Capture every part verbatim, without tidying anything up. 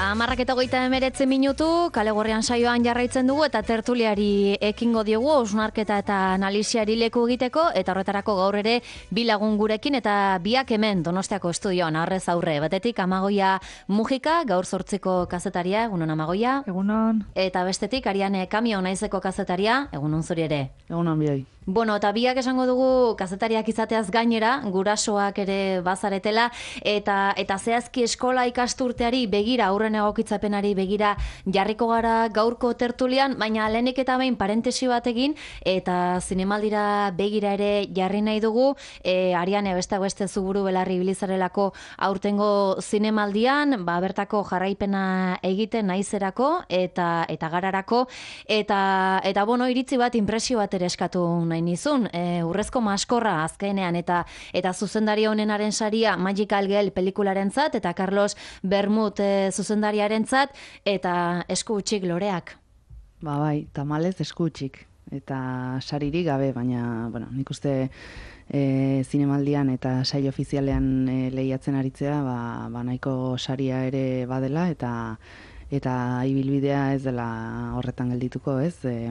Amarrak eta hogeita hemeretzi minutu, kale gorrian saioan jarraitzen dugu eta tertuliari ekingo diogu, osnarketa eta analiziari leku egiteko, eta horretarako gaur ere bi lagun gurekin eta biak hemen Donostiako estudioan aurrez aurre. Batetik Amagoia Mujika, gaur zortziko kazetaria, egunon Amagoia. Egunon. Eta bestetik Ariane Kamio naizeko kazetaria, egunon zuri ere. Egunon bioi. Bueno, eta biak esango dugu kazetariak izateaz gainera, gurasoak ere bazaretela, eta eta zehazki eskola ikasturteari begira, aurren egokitzapenari begira jarriko gara gaurko tertulian, baina lehenik eta behin parentesi bat egin, eta zinemaldira begira ere jarri nahi dugu, e, Ariane beste beste zuburu belarri bilizarelako aurtengo zinemaldian, ba, bertako jarraipena egiten naizerako, eta eta gararako, eta, eta bueno, iritzi bat, impresio bat ere eskatu nahi nizun, e, urrezko maskorra azkenean eta eta zuzendari honenaren saria Magical Girl pelikularentzat eta Carlos Bermud e, zuzendariarentzat eta esku utzik loreak. Ba bai, tamalez esku utzik eta saririk gabe, baina bueno, nik uste e, zinemaldian eta saio ofizialean e, lehiatzen aritzea, ba, ba nahiko saria ere badela eta eta ibilbidea ez dela horretan geldituko, ez? E,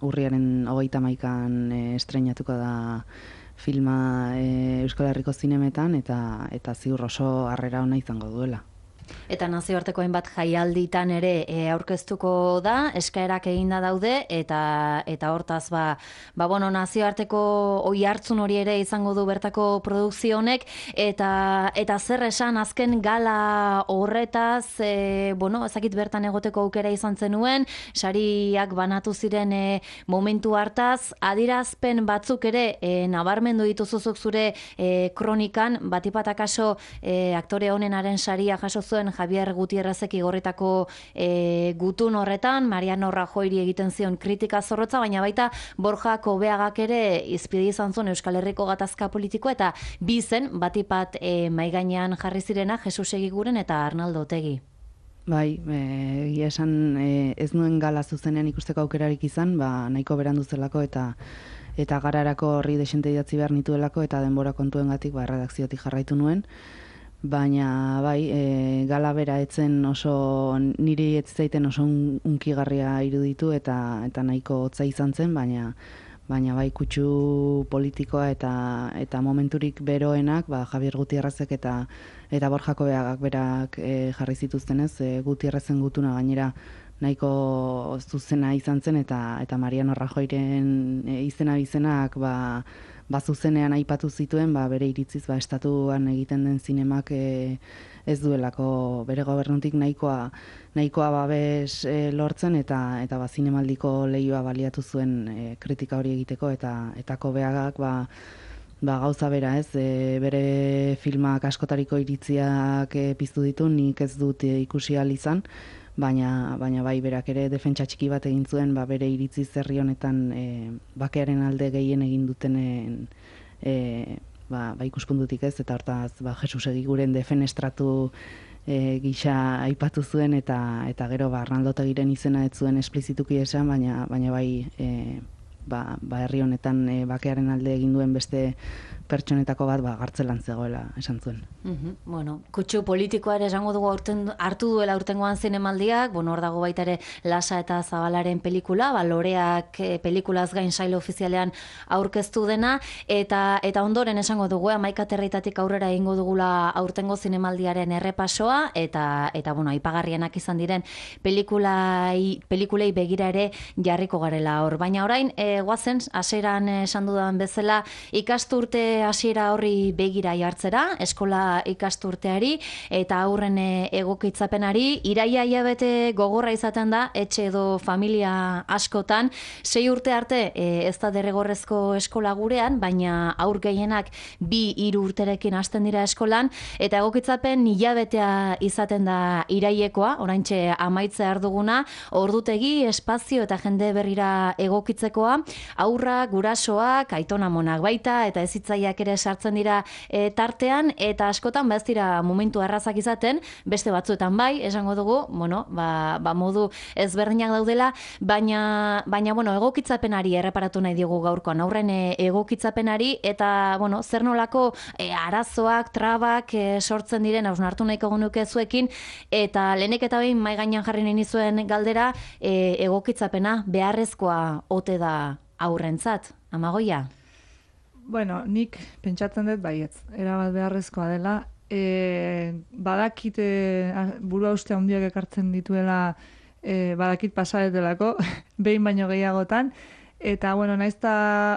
urriaren hogeita hamaikan e, estreinatuko da filma e, Euskal Herriko zinemetan eta eta ziur oso harrera ona izango duela. Eta nazioarteko hainbat jaialditan ere e, aurkeztuko da, eskaerak eginda daude, eta eta hortaz ba, ba bueno, nazioarteko oi hartzun hori ere izango du bertako produkzio honek, eta eta zer esan azken gala horretaz, e, bueno, ezakit bertan egoteko aukera izan zenuen, sariak banatu ziren e, momentu hartaz, adirazpen batzuk ere e, nabarmendu dituzuzuk zure e, kronikan, batipatakaso e, aktore honenaren saria jaso zuen Javier Gutierrezek igorritako e, gutun horretan, Mariano Rajoyri egiten zion kritika zorrotza, baina baita Borja Kobeagak ere izpide izan zuen Euskal Herriko gatazka politiko eta bi zen batipat e, maigainean jarri zirena Jesus Egiguren eta Arnaldo Otegi. Bai, egia esan e, ez nuen gala zuzenean ikusteko aukerarik izan, ba nahiko berandu zelako eta eta gararako horri desente idatzi behar nituelako eta denbora kontuengatik ba redakziotik jarraitu nuen. Baina bai, e, gala bera etzen oso, niri ez zaiten oso unkigarria iruditu eta eta nahiko hotza izan zen, baina baina bai kutsu politikoa eta eta momenturik beroenak, ba Javier Gutierrezek eta eta Borja Kobeagak berak e, jarri zituztenez, e, Gutierrezen gutuna gainera nahiko zuzena izan zen eta eta Mariano Rajoyren e, izena bizenak ba ba zuzenean aipatu zituen, ba bere iritziz ba estatuan egiten den zinemak e, ez duelako bere gobernutik nahikoa nahikoa babes e, lortzen eta eta ba zinemaldiko leioa baliatu zuen e, kritika hori egiteko eta eta Kobeagak ba ba gauza bera, ez? E, bere filmak askotariko iritziak e, piztu ditu, nik ez dut e, ikusi ahal izan. Baina, baina bai berak ere defentsa txiki bat egin zuen, ba bere iritzi zerri honetan e, bakearen alde gehien egin dutenen e, ba, ba ikuspuntutik ez, eta hortaz ba Jesus Egiguren defenestratu e, gisa aipatu zuen eta eta gero ba Arnaldo Otegiren izena ez zuen esplizituki esan, baina baina bai e, ba, ba herri honetan e, bakearen alde egin duen beste pertsonetako bat ba gartzelan zegoela esan zuen. Mm-hmm. Bueno, kutsu politikoa ere esango dugu aurten, hartu duela urtengoan zinemaldiak, bueno, hor dago baita ere Lasa eta Zabalaren pelikula, ba loreak e, pelikulaz gain sail ofizialean aurkeztu dena, eta eta ondoren esango dugu hamaika territatik aurrera egingo dugula aurtengo zinemaldiaren errepasoa, eta eta bueno, aipagarrienak izan diren pelikulai pelikulei begira ere jarriko garela hor. Baina orain e, goazen hasieran esan dudan bezala ikasturte hasiera horri begira jartzera, eskola ikasturteari eta aurren egokitzapenari, iraia hilabete gogorra izaten da etxe edo familia askotan, sei urte arte e, ez da derrigorrezko eskola gurean, baina aur gehienak bi hiru urterekin hasten dira eskolan, eta egokitzapen hilabetea izaten da irailekoa, oraintxe amaitze arduguna, ordutegi, espazio eta jende berrira egokitzekoa, aurrak, gurasoak, aitona monak baita, eta ez hitzaia gaiak ere sartzen dira e, tartean, eta askotan ba ez dira momentu arrazak izaten, beste batzuetan bai, esango dugu, bueno, ba, ba modu ezberdinak daudela, baina, baina bueno, egokitzapenari erreparatu nahi digu gaurkoan, aurren e, egokitzapenari, eta bueno, zer nolako e, arazoak, trabak e, sortzen diren, hausnartu nahiko genuke zuekin, eta lehenik eta behin mai gainean jarri nahi nizuen galdera, e, egokitzapena beharrezkoa ote da aurrentzat, Amagoia? Bueno, nik pentsatzen dut baietz, erabat beharrezkoa dela, e, badakit e, burua uste handiak ekartzen dituela, e, badakit pasaretelako, behin baino gehiagotan, eta, bueno, naiz eta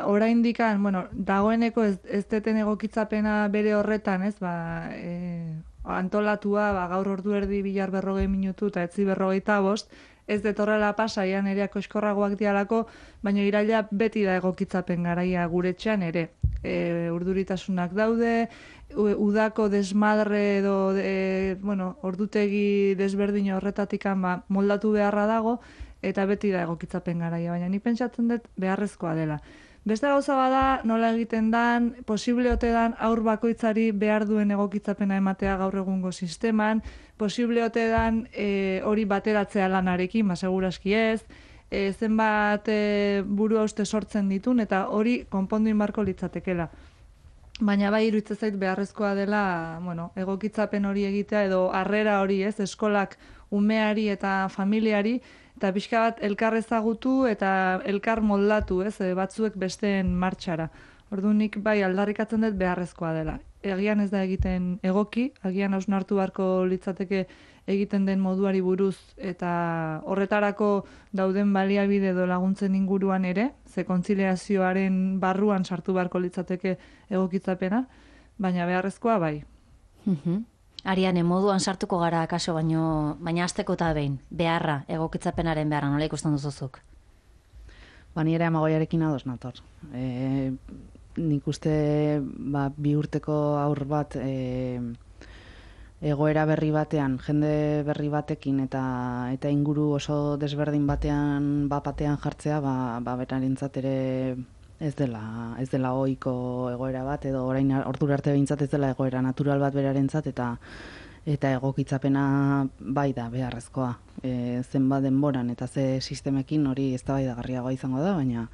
oraindikan, bueno, dagoeneko ez, ez deten egokitzapena bere horretan, ez, ba, e, antolatua, ba, gaur ordu erdi bilar berrogei minutu eta etzi berrogeita bost, ez detorrela pasaian ere koskorragoak dialako, baina iraila beti da egokitzapen garaia gure etxean ere. E, urduritasunak daude, udako desmadre edo e, bueno, ordutegi desberdin horretatikan ba, moldatu beharra dago, eta beti da egokitzapen garaia, baina nik pentsatzen dut beharrezkoa dela. Beste gauza bada, nola egiten dan, posible ote dan aur bakoitzari behar duen egokitzapena ematea gaur egungo sisteman, posible ote dan e, hori bateratzea lanarekin, ba, seguraski ez, e, zenbat e, burua uste sortzen ditun, eta hori konpondu inbarko litzatekela. Baina bai iruditzen zait beharrezkoa dela, bueno, egokitzapen hori egitea edo harrera hori, ez, eskolak umeari eta familiari, eta pixka bat elkar ezagutu eta elkar moldatu, ez, batzuek besteen martxara. Orduan nik bai aldarrikatzen dut beharrezkoa dela. Egian ez da egiten egoki, agian hausnartu beharko litzateke egiten den moduari buruz eta horretarako dauden baliabide edo laguntzen inguruan ere, ze kontziliazioaren barruan sartu beharko litzateke egokitzapena, baina beharrezkoa bai. Mhm. Ariane, moduan sartuko gara kaso, baino, baina azteko eta behin, beharra, egokitzapenaren beharra, nola ikusten duzuzuk? Ba, nire Amagoiarekin ados nator. E, nik uste ba, bi urteko aur bat e, egoera berri batean, jende berri batekin eta eta inguru oso desberdin batean bapatean jartzea, ba, ba berarentzat ere ez dela, ez dela ohiko egoera bat, edo orain ordura arte behintzat ez dela egoera natural bat berarentzat, eta eta egokitzapena bai da beharrezkoa. E, zenbat denboran eta ze sistemekin hori eztabaidagarriagoa izango da, baina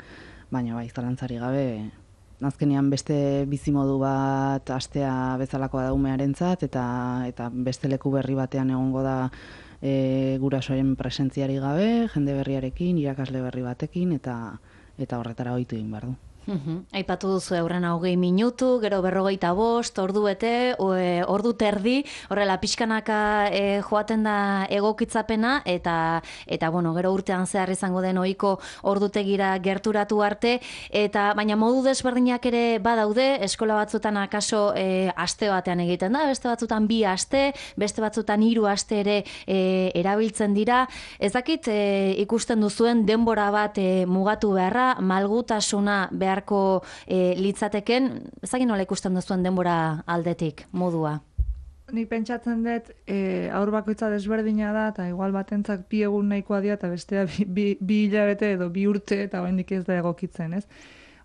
baina bai zalantzari gabe azkenean beste bizimodu bat astea bezalakoa da umearentzat, eta eta beste leku berri batean egongo da e, gurasoren presentziari gabe, jende berriarekin, irakasle berri batekin, eta eta horretara ohitu egin behar du. Uhum. Aipatu duzu aurren hogei minutu, gero berrogeita bost, ordu bete, e, ordu terdi, horrela pixkanaka e, joaten da egokitzapena, eta eta bueno, gero urtean zehar izango den ohiko ordutegira gerturatu arte, eta baina modu desberdinak ere badaude, eskola batzutan akaso e, aste batean egiten da, beste batzutan bi aste, beste batzutan hiru aste ere e, erabiltzen dira. Ez dakit e, ikusten duzuen denbora bat e, mugatu beharra, malgutasuna behar beharko e, litzateken, ezagin nola ikusten duzuen denbora aldetik, modua? Nik pentsatzen dut, e, aur bakoitza desberdina da, eta igual batentzak bi egun nahikoa dira, eta bestea bi, bi, bi hilabete edo bi urte, eta oraindik ez da egokitzen, ez?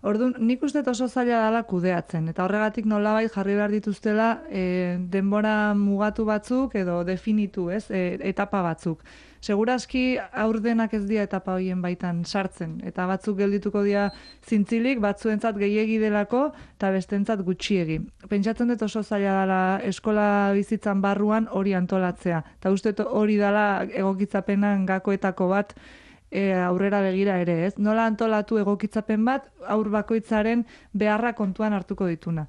Orduan, nik uste oso zaila dela kudeatzen, eta horregatik nolabait jarri behar dituztela e, denbora mugatu batzuk edo definitu, ez, e, etapa batzuk. Segurazki aur denak ez dira etapa horien baitan sartzen, eta batzuk geldituko dira zintzilik, batzuentzat gehiegi delako, eta bestentzat gutxiegi. Pentsatzen dut oso zaila dela eskola bizitzan barruan hori antolatzea, eta uste hori dela egokitzapenan gakoetako bat, E, aurrera begira ere, ez? Nola antolatu egokitzapen bat aur bakoitzaren beharra kontuan hartuko dituna.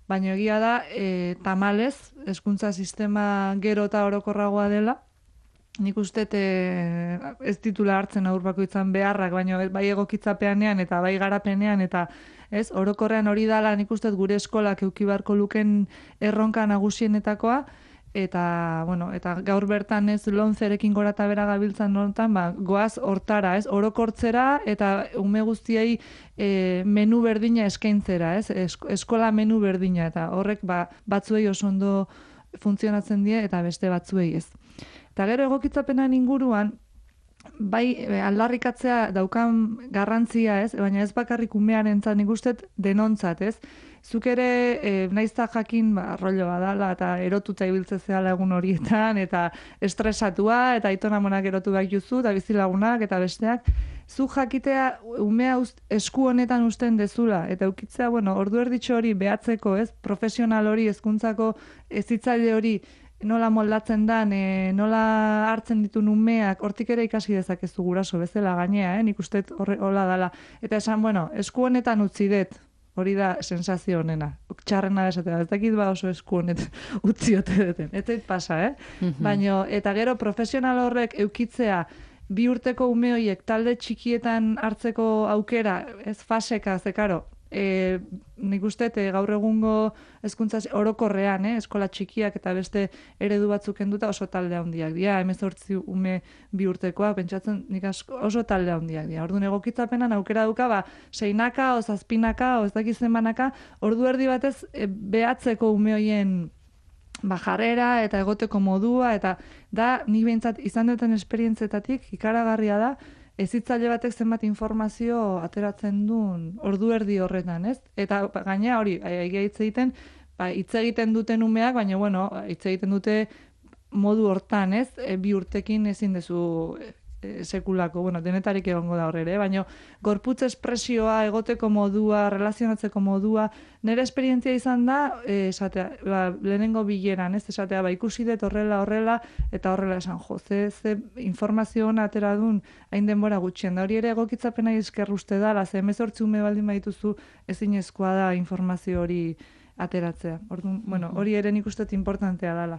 Baina egia da, e, tamalez, hezkuntza sistema gero eta orokorragoa dela, nik uste e, ez titula hartzen aur bakoitzan beharrak, baina bai egokitzapeanean eta bai garapenean, eta ez, orokorrean hori dela nik uste gure eskolak eduki beharko luken erronka nagusienetakoa, eta, bueno, eta gaur bertan ez lonzerekin gora eta bera gabiltzan nonetan, ba, goaz hortara, ez, orokortzera eta ume guztiei e, menu berdina eskaintzera, ez, eskola menu berdina, eta horrek ba, batzuei oso ondo funtzionatzen die eta beste batzuei ez. Eta gero egokitzapenan inguruan, bai aldarrikatzea daukan garrantzia, ez, baina ez bakarrik umearentzat, nik uste denontzat, ez, zuk ere e, naizta jakin ba, rollo badala eta erotuta ibiltze zehala egun horietan eta estresatua eta aitona monak erotu behar juzu eta bizilagunak eta besteak, zu jakitea umea ust, esku honetan usten dezula eta eukitzea, bueno, ordu erditxo hori behatzeko, ez, profesional hori, hezkuntzako hezitzaile hori nola moldatzen dan, e, nola hartzen ditu umeak, hortik ere ikasi dezakezu guraso bezala gainea, eh? Nik uste hola dala. Eta esan, bueno, esku honetan utzi dut, hori da sensazio honena. Txarrena esatea, ez dakit ba oso esku honetan utzi ote duten. Ez zait pasa, eh? Mm-hmm. Baina, eta gero profesional horrek eukitzea, bi urteko ume horiek talde txikietan hartzeko aukera, ez faseka, ze karo, E, nik uste e, gaur egungo hezkuntza orokorrean, eh, eskola txikiak eta beste eredu batzuk enduta oso talde handiak dira, hemezortzi ume bi urtekoa, pentsatzen nik asko, oso talde handiak dira. Orduan egokitzapenan aukera duka, ba, seinaka, o zazpinaka, o ez dakizen banaka, ordu erdi batez e, behatzeko ume hoien ba, jarrera eta egoteko modua, eta da, nik behintzat izan duten esperientzetatik ikaragarria da, hezitzaile batek zenbat informazio ateratzen duen ordu erdi horretan, ez? Eta gaina hori, egia hitz egiten, ba, hitz egiten duten umeak, baina bueno, hitz egiten dute modu hortan, ez? E, bi urtekin ezin dezu e, sekulako, bueno, denetarik egongo da horre, baina gorputz espresioa, egoteko modua, relazionatzeko modua, nire esperientzia izan da, e, esatea, ba, lehenengo bileran, ez esatea, ba, ikusi dut horrela, horrela, eta horrela esan, jo, ze, ze informazio hona atera duen hain denbora gutxien. Da hori ere egokitzapena izker uste dala, ze hemezortzi ume baldin badituzu ezinezkoa da informazio hori ateratzea. Orduan, bueno, hori ere nik uste importantea dela.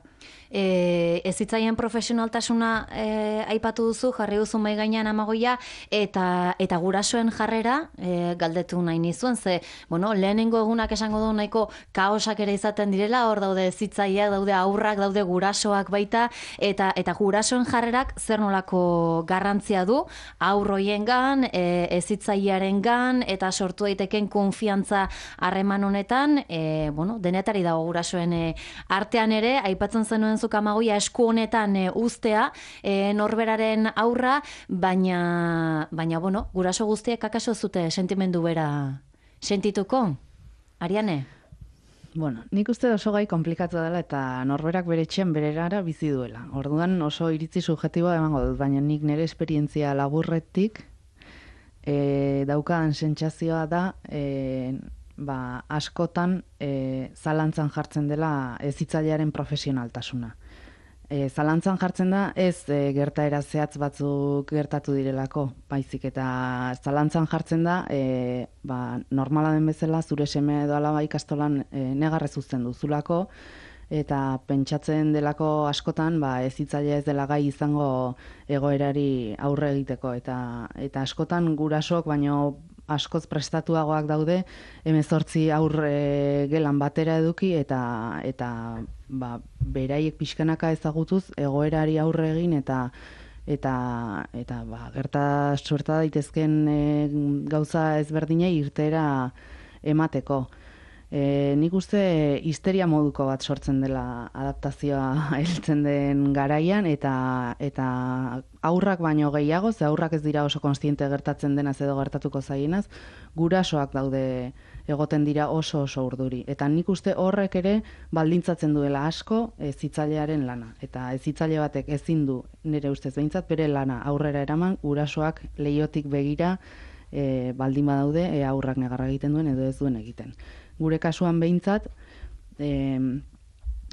E, ezitzaien profesionaltasuna e, aipatu duzu, jarri duzu mai gainean amagoia, eta eta gurasoen jarrera e, galdetu nahi nizuen, ze, bueno, lehenengo egunak esango du nahiko kaosak ere izaten direla, hor daude ezitzaileak, daude aurrak, daude gurasoak baita, eta eta gurasoen jarrerak zer nolako garrantzia du, aurroiengan, e, ezitzailearengan, eta sortu daiteken konfiantza harreman honetan, e, bueno, denetari dago gurasoen e, artean ere, aipatzen zenuen zuk amagoia esku honetan e, uztea e, norberaren aurra, baina, baina bueno, guraso guztiek akaso zute sentimendu bera sentituko? Ariane? Bueno, nik uste oso gai komplikatu dela eta norberak bere etxean bere erara bizi duela. Orduan oso iritzi subjektiboa emango dut, baina nik nire esperientzia laburretik e, daukadan sentsazioa da e, ba, askotan e, zalantzan jartzen dela hezitzailearen profesionaltasuna. E, zalantzan jartzen da ez e, gertaera zehatz batzuk gertatu direlako, baizik eta zalantzan jartzen da e, ba, normala den bezala zure seme edo alaba ikastolan e, negarrez uzten duzulako, eta pentsatzen delako askotan ba, hezitzailea ez dela gai izango egoerari aurre egiteko, eta, eta askotan gurasok baino askoz prestatuagoak daude hemezortzi aurre gelan batera eduki eta eta ba, beraiek pixkanaka ezagutuz egoerari aurre egin eta eta eta ba, gerta suerta daitezken e, gauza ezberdinei irtera emateko. E, nik uste histeria moduko bat sortzen dela adaptazioa heltzen den garaian, eta eta aurrak baino gehiago, ze aurrak ez dira oso kontziente gertatzen denaz edo gertatuko zaienaz, gurasoak daude egoten dira oso oso urduri. Eta nik uste horrek ere baldintzatzen duela asko hezitzailearen lana. Eta hezitzaile batek ezin du, nire ustez behintzat, bere lana aurrera eraman, gurasoak leihotik begira e, baldin badaude e, aurrak negarra egiten duen edo ez duen egiten. Gure kasuan behintzat, e,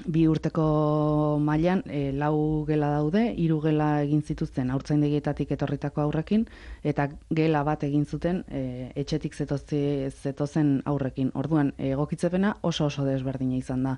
bi urteko mailan e, lau gela daude, hiru gela egin zituzten haurtzaindegietatik etorritako aurrekin, eta gela bat egin zuten e, etxetik zetozi, zetozen aurrekin. Orduan, egokitzepena oso oso desberdina izan da.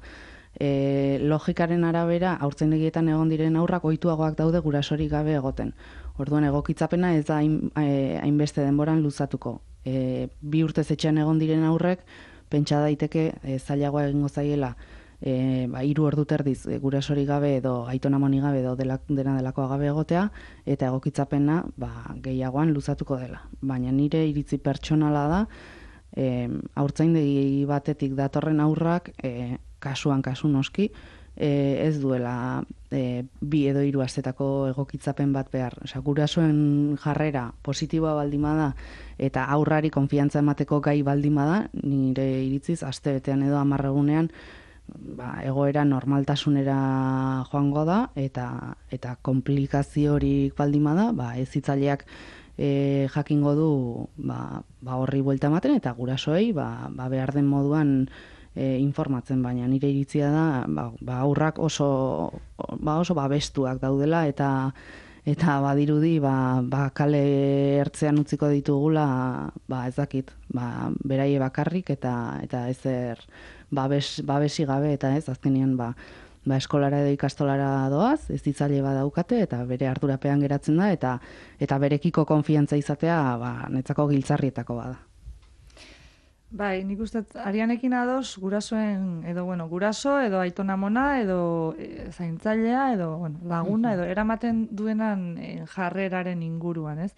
E, logikaren arabera, haurtzaindegietan egon diren aurrak ohituagoak daude gurasorik gabe egoten. Orduan, egokitzapena ez da hainbeste denboran luzatuko. E, bi urtez etxean egon diren aurrek, pentsa daiteke e, zailagoa egingo zaiela e, ba, hiru ordu terdiz e, gurasorik gabe edo aitonamoni gabe edo dela, dena delakoa gabe egotea, eta egokitzapena ba, gehiagoan luzatuko dela. Baina nire iritzi pertsonala da, e, haurtzaindegi batetik datorren aurrak, e, kasuan kasu noski, e, ez duela e, bi edo hiru astetako egokitzapen bat behar. Osea, gurasoen jarrera positiboa baldin bada eta aurrari konfiantza emateko gai baldin bada, nire iritziz astebetean edo hamar egunean ba, egoera normaltasunera joango da eta eta konplikaziorik baldin bada, ba hezitzaileak e, jakingo du ba, ba horri buelta ematen eta gurasoei ba, ba behar den moduan E, informatzen, baina nire iritzia da ba, ba aurrak oso ba oso babestuak daudela eta eta badirudi ba, ba kale ertzean utziko ditugula ba ez dakit, ba beraie bakarrik eta eta ezer babes babesi gabe eta ez azkenean ba ba eskolara edo ikastolara doaz, ez ditzaile badaukate eta bere ardurapean geratzen da eta eta berekiko konfiantza izatea ba netzako giltzarrietako bada. Bai, nik uste Arianekin ados gurasoen edo bueno, guraso edo aitonamona edo e, zaintzailea edo bueno, laguna edo eramaten duenan e, jarreraren inguruan, ez?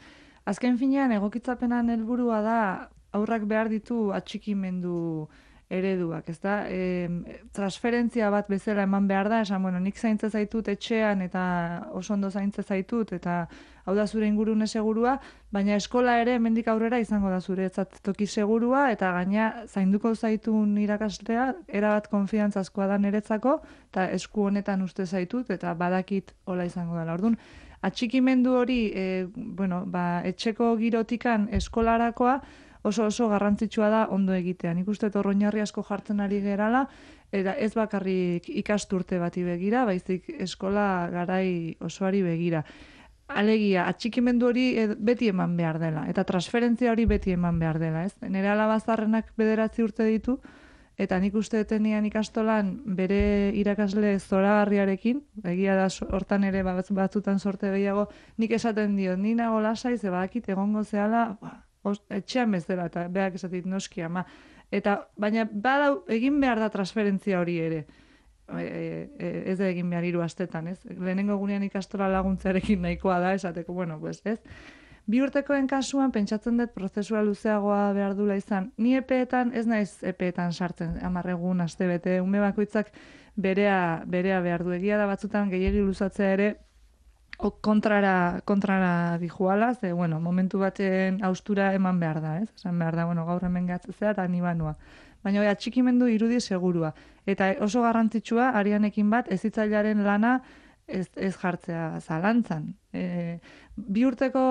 Azken finean egokitzapenan helburua da aurrak behar ditu atxikimendu ereduak, ez da? E, transferentzia bat bezala eman behar da, esan, bueno, nik zaintza zaitut etxean eta oso ondo zaintza zaitut eta hau da zure ingurune segurua, baina eskola ere hemendik aurrera izango da zuretzat toki segurua eta gaina zainduko zaitun irakaslea erabat konfiantzazkoa da niretzako eta esku honetan uste zaitut eta badakit hola izango dela. Orduan, atxikimendu hori e, bueno, ba, etxeko girotikan eskolarakoa oso oso garrantzitsua da ondo egitea. Nik uste hor oinarri asko jartzen ari gerala, eta ez bakarrik ikasturte bati begira, baizik eskola garai osoari begira. Alegia, atxikimendu hori beti eman behar dela, eta transferentzia hori beti eman behar dela, ez? Nire alabazarrenak bederatzi urte ditu, eta nik uste detenean ikastolan bere irakasle zoragarriarekin, egia da hortan ere batzutan sorte gehiago, nik esaten dio, ni nago lasai, ze badakit egongo zehala, ba, etxean bezala, eta behak esatit noski ama. Eta, baina badau, egin behar da transferentzia hori ere. E, e, ez da egin behar hiru astetan, ez? Lehenengo gunean ikastola laguntzarekin nahikoa da, esateko, bueno, pues, ez? Bi urtekoen kasuan, pentsatzen dut prozesua luzeagoa behar dula izan. Ni epeetan, ez naiz epeetan sartzen, amarregun, aste bete, ume bakoitzak berea, berea behar du. Egia da batzutan gehiegi luzatzea ere, o kontrara, kontrara dijuala, ze, bueno, momentu baten haustura eman behar da, ez? Esan behar da, bueno, gaur hemen gatzea eta ni banua. Baina bai, atxikimendu irudi segurua. Eta oso garrantzitsua, Arianekin bat, hezitzailearen lana ez, ez jartzea zalantzan. E, bi urteko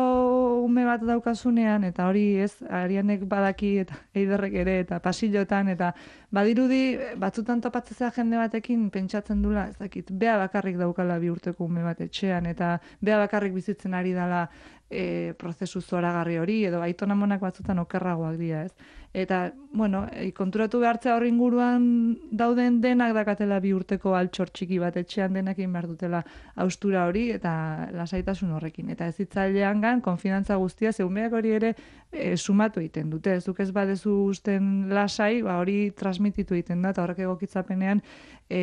ume bat daukasunean, eta hori ez, Arianek badaki eta eiderrek ere, eta pasillotan, eta badirudi batzutan topatzea jende batekin pentsatzen dula, ez dakit, bea bakarrik daukala bi urteko ume bat etxean, eta bea bakarrik bizitzen ari dala e, prozesu zoragarri hori, edo aitonamonak batzutan okerragoak dira, ez? Eta, bueno, e, konturatu behartzea horri inguruan dauden denak dakatela bi urteko altxor txiki bat etxean denakin behar dutela haustura hori, eta lasaitasun horrekin. Eta ez hitzailean gan, konfidantza guztia, zeumeak hori ere e, sumatu egiten dute. Zuk ez badezu usten lasai, ba, hori transmititu egiten da, eta horrek egokitzapenean e,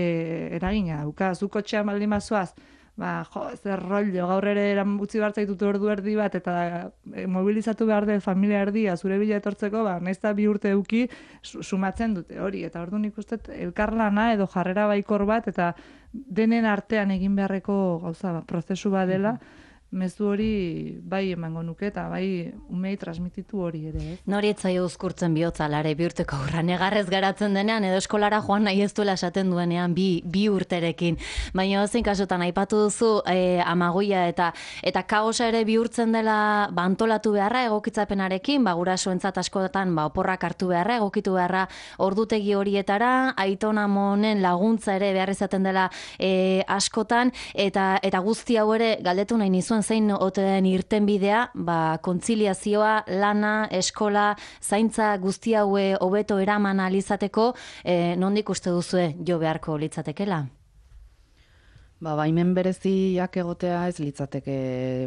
eragina dauka. Zuk kotxean baldin bazoaz, ba, jo, zer rollo, gaur ere eran utzi behar zaitut ordu erdi bat, eta e, mobilizatu behar de familia erdia zure bila etortzeko, ba, nahiz eta bi urte euki sumatzen dute hori. Eta orduan ikusten elkarlana edo jarrera baikor bat, eta denen artean egin beharreko gauza, ba, prozesu bat dela, mezu hori bai emango nuke eta bai umei transmititu hori ere, ez? Nori etzaio uzkurtzen bihotza lare bi urteko aurra negarrez garatzen denean edo eskolara joan nahi ez duela esaten duenean bi, bi urterekin. Baina zein kasutan aipatu duzu e, amagoia eta eta kaosa ere bihurtzen dela ba, antolatu beharra egokitzapenarekin, ba, gurasoentzat askotan ba, oporrak hartu beharra, egokitu beharra ordutegi horietara, aitonamonen laguntza ere behar izaten dela e, askotan, eta, eta guzti hau ere galdetu nahi nizuen zein oten irten bidea, ba, kontziliazioa, lana, eskola, zaintza guzti haue hobeto eraman alizateko, e, nondik uste duzue jo beharko litzatekela? Ba, baimen bereziak egotea ez litzateke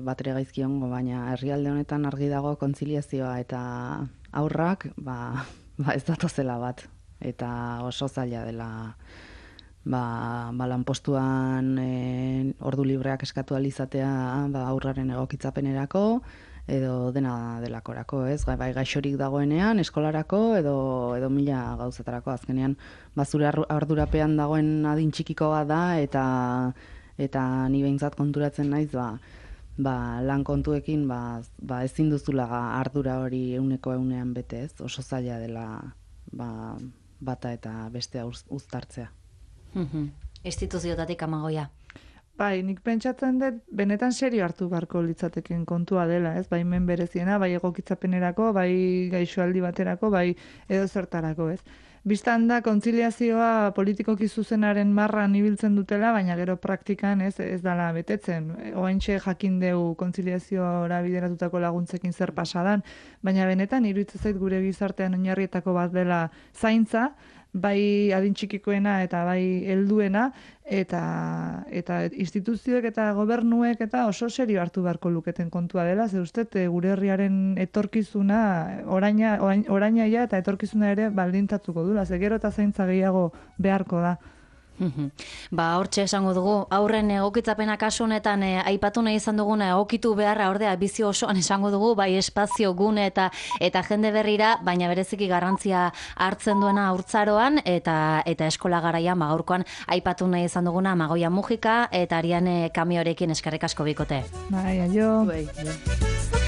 batere gaizki ongo, baina herrialde honetan argi dago kontziliazioa eta aurrak, ba, ba ez datozela bat, eta oso zaila dela ba, ba lanpostuan e, ordu libreak eskatu alizatea ba, aurraren egokitzapenerako, edo dena delakorako, ez? Bai gaixorik dagoenean, eskolarako edo edo mila gauzetarako azkenean, ba zure ardurapean dagoen adin txikiko bat da eta eta ni behintzat konturatzen naiz, ba ba lan kontuekin ba, ba ezin duzula ardura hori ehuneko ehunean bete, ez? Oso zaila dela ba bata eta bestea uztartzea. Mhm. Instituzioetatik Amagoia. Bai, nik pentsatzen dut, benetan serio hartu beharko litzateken kontua dela, ez? Bai men bereziena, bai egokitzapenerako, bai gaixoaldi baterako, bai edo zertarako, ez? Bistan da, kontziliazioa politikoki zuzenaren marran ibiltzen dutela, baina gero praktikan ez, ez dala betetzen. Oaintxe jakin deu kontziliazioa bideratutako laguntzekin zer pasadan, baina benetan iruditzen zait gure gizartean oinarrietako bat dela zaintza, bai adin txikikoena eta bai helduena, eta eta instituzioek eta gobernuek eta oso serio hartu beharko luketen kontua dela, ze uste gure herriaren etorkizuna oraina orainaia eta etorkizuna ere baldintzatuko dula, ze gero eta zaintza gehiago beharko da. Ba, hortxe esango dugu, aurren egokitzapena kasu honetan eh, aipatu nahi izan duguna egokitu beharra ordea bizi osoan esango dugu, bai espazio gune eta eta jende berrira, baina bereziki garrantzia hartzen duena haurtzaroan eta eta eskola garaian ba gaurkoan aipatu nahi izan duguna Amagoia Mujika eta Ariane Kamiorekin eskerrik asko bikote. Bai, aio. Bai, bai.